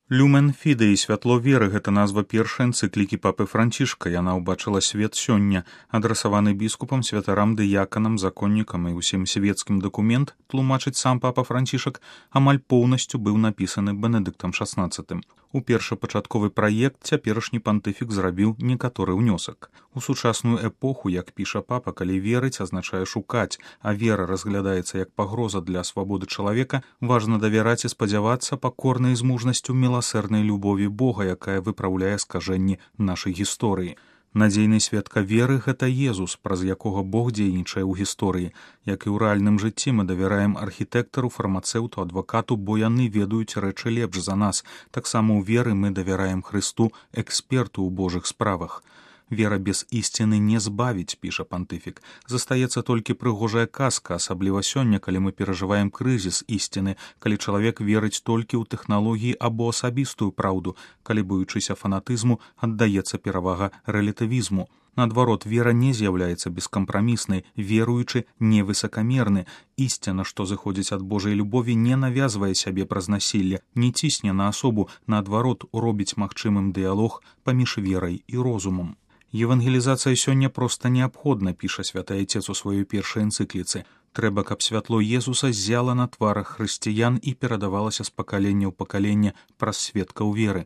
Люмен Фідей, святло веры, гэта назва першай энцыклікі папы Францішка. Яна ўбачыла свет сёння. Адрасаваны біскупам, святарам, дыяканам, законнікам і ўсім свецкім дакумент, тлумачыць сам папа Францішак, амаль поўнасцю быў напісаны Бенедыктам XVI. У першапачатковы праект цяперашні пантыфік зрабіў некаторы ўнёсак. У сучасную эпоху, як піша папа, калі верыць азначае шукаць, а вера разглядаецца як пагроза для свабоды чалавека, важна давяраць і спадзявацца пакорнай з мужнасцю міласэрнай любові Бога, якая выпраўляе скажэнні нашай гісторыі. Надзейны сведка веры – гэта Езус, праз якога Бог дзейнічае ў гісторыі. Як і ў рэальным жыцці мы давяраем архітэктару, фармацэўту, адвакату, бо яны ведаюць рэчы лепш за нас. Таксама ў веры мы давяраем Хрысту, эксперту ў Божых справах. Вера без ісціны не збавіць, піша пантыфік. Застаецца толькі прыгожая казка, асабліва сёння, калі мы перажываем крызіс ісціны, калі чалавек верыць толькі ў тэхналогіі або асабістую праўду, калі, боючыся фанатызму, аддаецца перавага рэлятывізму. Наадварот, вера не з'яўляецца бескампраміснай, веруючы невысакамерны. Ісціна, што зыходзіць ад Божай любові, не навязвае сябе праз насілле, не цісне на асобу, наадварот, робіць магчымым дыялог паміж верай і розумам. Евангелізацыя сёння проста неабходна, піша святы айцец у сваёй першай энцыкліцы. Трэба, каб святло Езуса ззяла на тварах хрысціян і перадавалася з пакалення ў пакаленне праз сведкаў веры.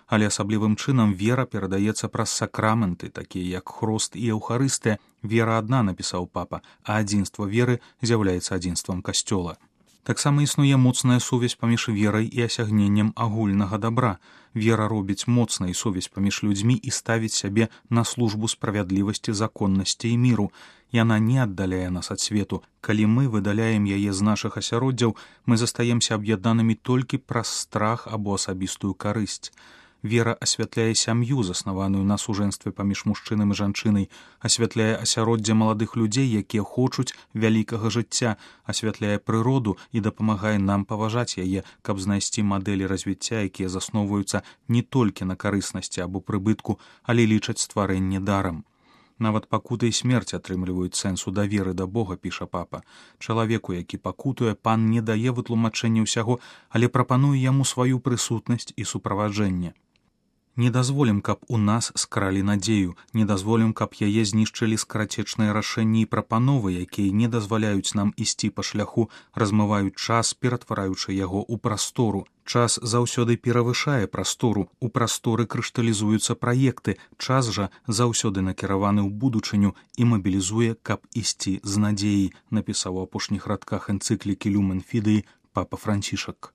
Але асаблівым чынам вера перадаецца праз сакраменты, такія як хрост і еўхарыстыя. Вера адна, напісаў папа, а адзінства веры з'яўляецца адзінствам касцёла. Таксама існуе моцная сувязь паміж верай і асягненнем агульнага дабра. Вера робіць моцнай сувязь паміж людзьмі і ставіць сябе на службу справядлівасці, законнасці і міру. Яна не аддаляе нас ад свету. Калі мы выдаляем яе з нашых асяроддзяў, мы застаемся аб'яднанымі толькі праз страх або асабістую карысць. Вера асвятляе сям'ю, заснаваную на сужэнстве паміж мужчынам і жанчынай, асвятляе асяроддзе маладых людзей, якія хочуць вялікага жыцця, асвятляе прыроду і дапамагае нам паважаць яе, каб знайсці мадэлі развіцця, якія засноўваюцца не толькі на карыснасці або прыбытку, але лічаць стварэнне дарам. Нават пакута і смерць атрымліваюць сэнсу даверы да Бога, піша папа. Чалавеку, які пакутуе, пан не дае вытлумачэння ўсяго, але прапануе яму сваю прысутнасць і суправаджэнне. Не дазволім, каб у нас скралі надзею, не дазволім, каб яе знішчылі скарацечныя рашэнні і прапановы, якія не дазваляюць нам ісці па шляху, размываюць час, ператвараючы яго ў прастору. Час заўсёды перавышае прастору, у прасторы крышталізуюцца праекты, час жа заўсёды накіраваны ў будучыню і мабілізуе, каб ісці з надзеяй, напісаў у апошніх радках энцыклікі Люмен Фідей папа Францішак.